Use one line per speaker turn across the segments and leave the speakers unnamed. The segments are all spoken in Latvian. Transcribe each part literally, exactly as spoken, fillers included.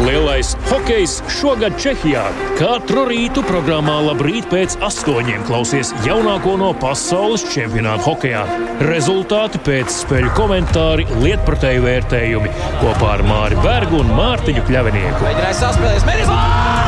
Lielais hokejs šogad Čehijā. Katru rītu programmā Labrīt pēc astoņiem klausies jaunāko no pasaules čempionāta hokejā. Rezultāti pēc spēļu komentāri, lietpratēju vērtējumi kopā ar Māri Bergu un Mārtiņu Kļavinieku.
Mēģināja saspēlēs, Mēģinājums!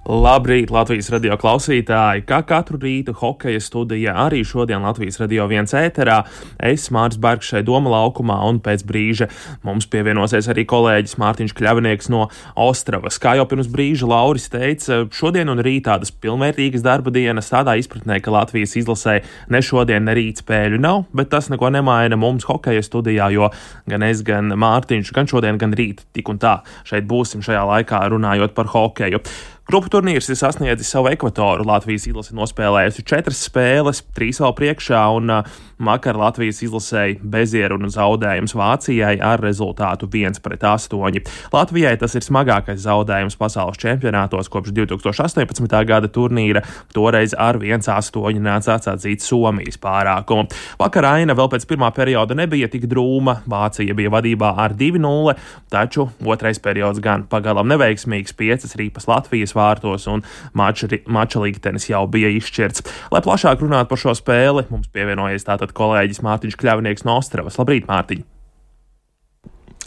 Labrīt, Latvijas radio klausītāji! Kā katru rītu hokeja studijā, arī šodien Latvijas radio viens ēterā. Es, Māris Bergs, šeit Doma laukumā, un pēc brīža mums pievienosies arī kolēģis Mārtiņš Kļavinieks no Ostravas. Kā jau pirms brīža Lauris teica, šodien un rīt tādas pilnvērtīgas darba dienas tādā izpratnē, ka Latvijas izlasē ne šodien, ne rīt spēļu nav, bet tas neko nemaina mums hokeja studijā, jo gan es, gan Mārtiņš, gan šodien, gan rīt tik un tā šeit būsim šajā laikā runājot par hokeju. Grupu turnīrs ir sasniedzis savu ekvatoru. Latvijas izlase nospēlējusi četras spēles, trīs vēl priekšā, un uh, vakar Latvijas izlasēja bezieru un zaudējums Vācijai ar rezultātu viens pret astoņi. Latvijai tas ir smagākais zaudējums pasaules čempionātos kopš divi tūkstoši astoņpadsmitā gada turnīra. Toreiz ar viens astoņi nācās atzīt Somijas pārākumu. Vakar aina vēl pēc pirmā perioda nebija tik drūma. Vācija bija vadībā ar divi nulle, taču otrais periods gan pagalam neveiksmīgs, piecas ripas Latvijas vārtos un mača, mača liktenis jau bija izšķirts. Lai plašāk runātu par šo spēli, mums pievienojies tātad kolēģis Mārtiņš Kļavinieks no Ostravas. Labrīt, Mārtiņ!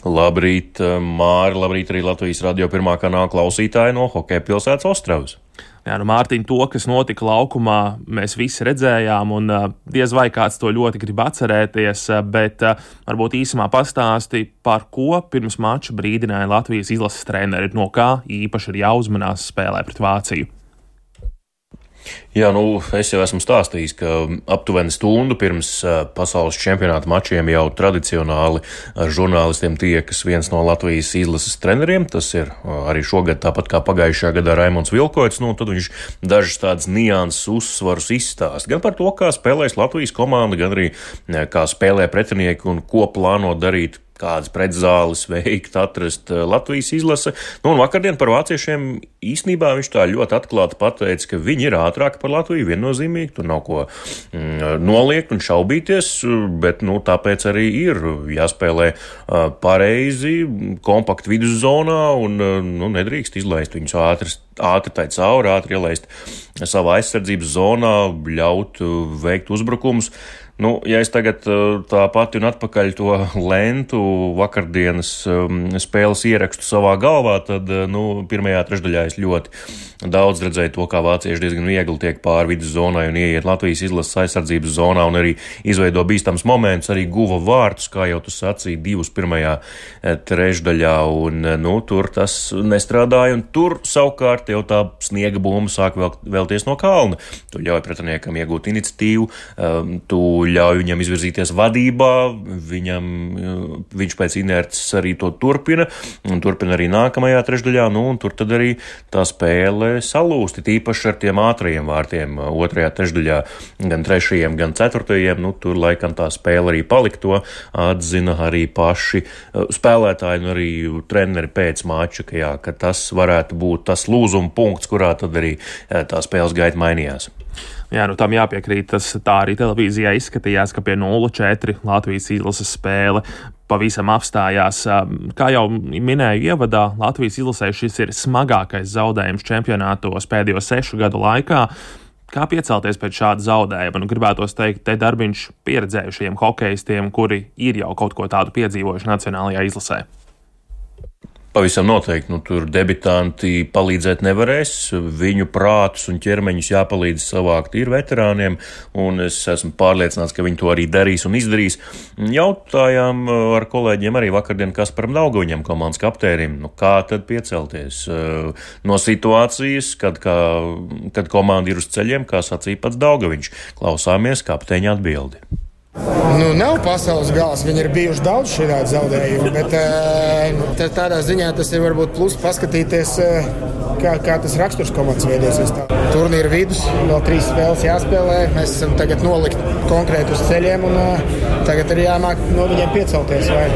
Labrīt, Māri, labrīt arī Latvijas radio pirmā kanāla klausītāji no hokeja pilsētas Ostravas.
Jā, nu, Mārtiņ, to, kas notika laukumā, mēs visi redzējām, un uh, diez vai kāds to ļoti grib atcerēties, uh, bet uh, varbūt īsumā pastāsti, par ko pirms mača brīdināja Latvijas izlases treneri, no kā īpaši ir jāuzmanās spēlē pret Vāciju.
Jā, nu, es jau esmu stādījis, ka aptuveni stundu pirms uh, pasaules čempionāta mačiem jau tradicionāli ar žurnālistiem tiekas viens no Latvijas izlases treneriem. Tas ir uh, arī šogad, tāpat kā pagājušajā gadā, Raimonds Vilkoits. Nu, tad viņš dažas tādas nianses uzsvarus izstāst. Gan par to, kā spēlēs Latvijas komanda, gan arī kā spēlē pretinieki un ko plāno darīt, kādas pretzāles veikt, atrast Latvijas izlase. Nu, un vakardien par vāciešiem īstenībā viņš tā ļoti atklāti pateica, ka viņi ir ātrāki par Latviju, viennozīmīgi, tur nav ko mm, noliegt un šaubīties, bet, nu, tāpēc arī ir jāspēlē uh, pareizi, kompakti viduszonā un, uh, nu, nedrīkst izlaist viņus ātri, ātri tai cauri, ātri ielaist savā aizsardzības zonā, ļaut uh, veikt uzbrukumus. Nu, ja es tagad tā pati un atpakaļ to lentu vakardienas um, spēles ierakstu savā galvā, tad, nu, pirmajā trešdaļā es ļoti daudz redzēju to, kā vācieši diezgan viegli tiek pāri vidus zonai un ieiet Latvijas izlases aizsardzības zonā un arī izveido bīstams moments, arī guva vārtus, kā jau tu sacīji, divus pirmajā trešdaļā, un, nu, tur tas nestrādāja, un tur savukārt jau tā sniega bumba sāk vēl, vēlties no kalna. Tu ļauj pretiniekam iegūt iniciatīvu, um, tu ļauj viņam izvirzīties vadībā, viņam, viņš pēc inerces arī to turpina, un turpina arī nākamajā trešdaļā, nu, un tur tad arī tā spēle salūsti, tīpaši ar tiem ātrajiem vārtiem otrajā trešdaļā, gan trešajiem, gan ceturtajiem, nu, tur laikam tā spēle arī palika, to atzina arī paši spēlētāji, un arī treneri pēc mača, ka, jā, ka tas varētu būt tas lūzuma punkts, kurā tad arī tā spēles gaita mainījās.
Jā, nu tam jāpiekrīt, tas tā arī televīzijā izskatījās, ka pie nulle četri Latvijas izlases spēle pavisam apstājās. Kā jau minēju ievadā, Latvijas izlasē šis ir smagākais zaudējums čempionātos pēdējo sešu gadu laikā. Kā piecelties pēc šāda zaudējuma? Nu, gribētos teikt, te darbiņš pieredzējušiem hokejistiem, kuri ir jau kaut ko tādu piedzīvojuši nacionālajā izlasē.
Pavisam noteikti, nu, tur debitanti palīdzēt nevarēs, viņu prātus un ķermeņus jāpalīdz savākt ir veterāniem, un es esmu pārliecināts, ka viņi to arī darīs un izdarīs. Jautājām ar kolēģiem arī vakardien Kasparam Daugaviņam, komandas kapteinim, nu, kā tad piecelties no situācijas, kad, kā, kad komanda ir uz ceļiem, kā sacīja pats Daugaviņš. Klausāmies kapteiņa atbildi.
Nu, nav pasaules gals, viņi ir bijuši daudz šādu zaudējumu, bet tā, tādā ziņā tas ir varbūt plus paskatīties, kā, kā tas raksturs komandas veidosies. Turnīra vidus, vēl trīs spēles jāspēlē, mēs esam tagad nolikt konkrēti uz ceļiem un tagad ir jāmāk no viņiem piecelties vai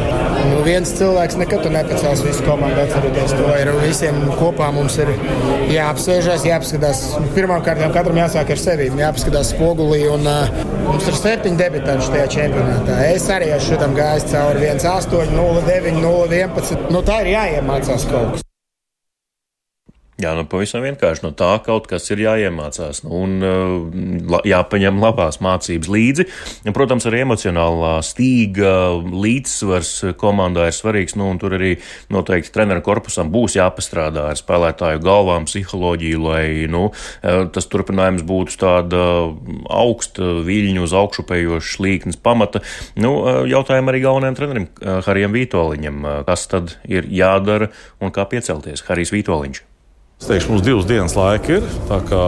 nu, viens cilvēks nekad tu nepacels visu komandu atceroties to. Ir visiem kopā mums ir jāapsēžās, jāapskatās. Pirmkārt, katram jāsāk ar sevi, jāapskatās spogulī. Un, uh, mums ir septiņi debitanti šajā čempionātā. Es arī esmu šitam gājis cauri viens astoņi, nulle deviņi, nulle vienpadsmit. Nu, tā ir jāiemācās kaut kas.
Jā, nu pavisam vienkārši no tā kaut kas ir jāiemācās nu, un uh, jāpaņem labās mācības līdzi. Un, protams, arī emocionālā stīga līdzsvars komandā ir svarīgs, nu, un tur arī noteikti treneru korpusam būs jāpastrādā ar spēlētāju galvām, psiholoģiju, lai nu, tas turpinājums būtu tāda augsta viļņu uz augšupējoša līknes pamata. Nu, jautājumu arī galvenajam trenerim Harijam Vītoliņam, kas tad ir jādara un kā piecelties. Harijs Vītoliņš.
Es teikšu, mums divas dienas laika ir, tā kā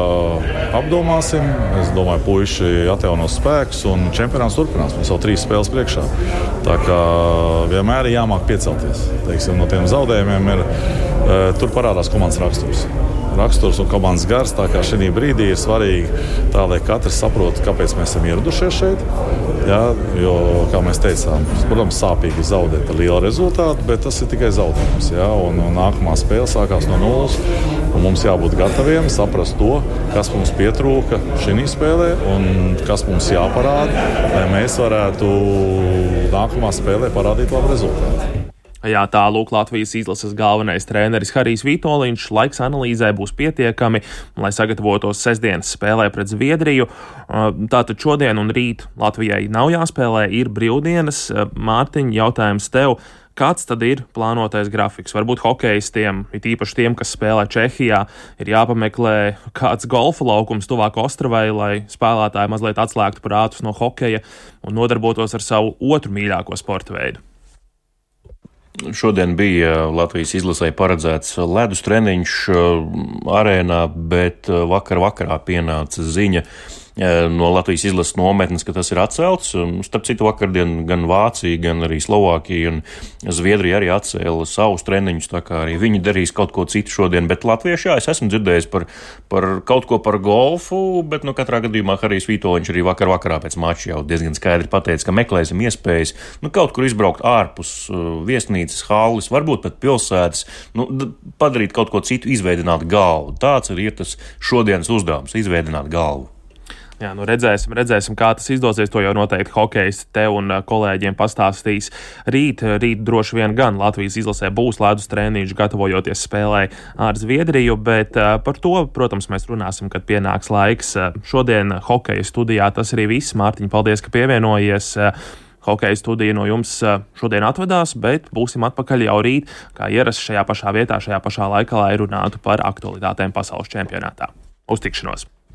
apdomāsim. Es domāju, puiši atjaunos spēkus un čempionāts turpinās. Mums vēl trīs spēles priekšā. Tā kā vienmēr ir jāmāk piecelties. Teiksim, no tiem zaudējumiem ir, e, tur parādās komandas raksturs. Raksturs un komandas gars, tā kā šī brīdī ir svarīgi tā, lai katrs saprotu, kāpēc mēs esam ieradušies šeit. Jā, jo, kā mēs teicām, protams, sāpīgi zaudēt ar lielu rezultātu, bet tas ir tikai zaudējums. Jā, un, un nākamā spēle sākās no nulles, un mums jābūt gataviem saprast to, kas mums pietrūka šī spēlē un kas mums jāparāda, lai mēs varētu nākamā spēlē parādīt labu rezultātu.
Jā, tā lūk Latvijas izlases galvenais treneris Harijs Vītoliņš. Laiks analīzē būs pietiekami, lai sagatavotos sestdienas spēlē pret Zviedriju. Tātad šodien un rīt Latvijai nav jāspēlē, ir brīvdienas. Mārtiņ, jautājums tev. Kāds tad ir plānotais grafiks? Varbūt hokejistiem, it īpaši tiem, kas spēlē Čehijā, ir jāpameklē kāds golfa laukums tuvāk Ostravai, lai spēlētāji mazliet atslēgtu prātus no hokeja un nodarbotos ar savu otru mīļāko sporta veidu.
Šodien bija Latvijas izlasē paredzēts ledus treniņš arēnā, bet vakar vakarā pienāca ziņa no Latvijas izlases nometnes, ka tas ir atcelts. Starp citu, vakardien gan Vācija, gan arī Slovākija un Zviedrija arī atcēla savus treniņus, tā kā arī viņi darīs kaut ko citu šodien. Bet latvieši, jā, es esmu dzirdējis par, par kaut ko par golfu, bet nu katrā gadījumā Harijs Vītoliņš arī vakar vakarā pēc mača jau diezgan skaidri pateica, ka meklēsim iespējas nu, kaut kur izbraukt ārpus uh, viesnīcas, halles, varbūt pat pilsētas, nu, padarīt kaut ko citu, izveidināt galvu. Tāds arī ir tas šodienas uzdevums, izveidināt galvu.
Jā, nu redzēsim, redzēsim, kā tas izdosies. To jau noteikti hokejisti te un kolēģiem pastāstīs rīt. Rīt droši vien gan Latvijas izlasē būs ledus treniņš, gatavojoties spēlē ar Zviedriju, bet par to, protams, mēs runāsim, kad pienāks laiks. Šodien hokeja studijā tas arī viss. Mārtiņ, paldies, ka pievienojies. Hokeja studija no jums šodien atvedās, bet būsim atpakaļ jau rīt, kā ierasts šajā pašā vietā, šajā pašā laikā, lai runātu par aktualitātēm pasaules čempionātā. Uz tikšanos!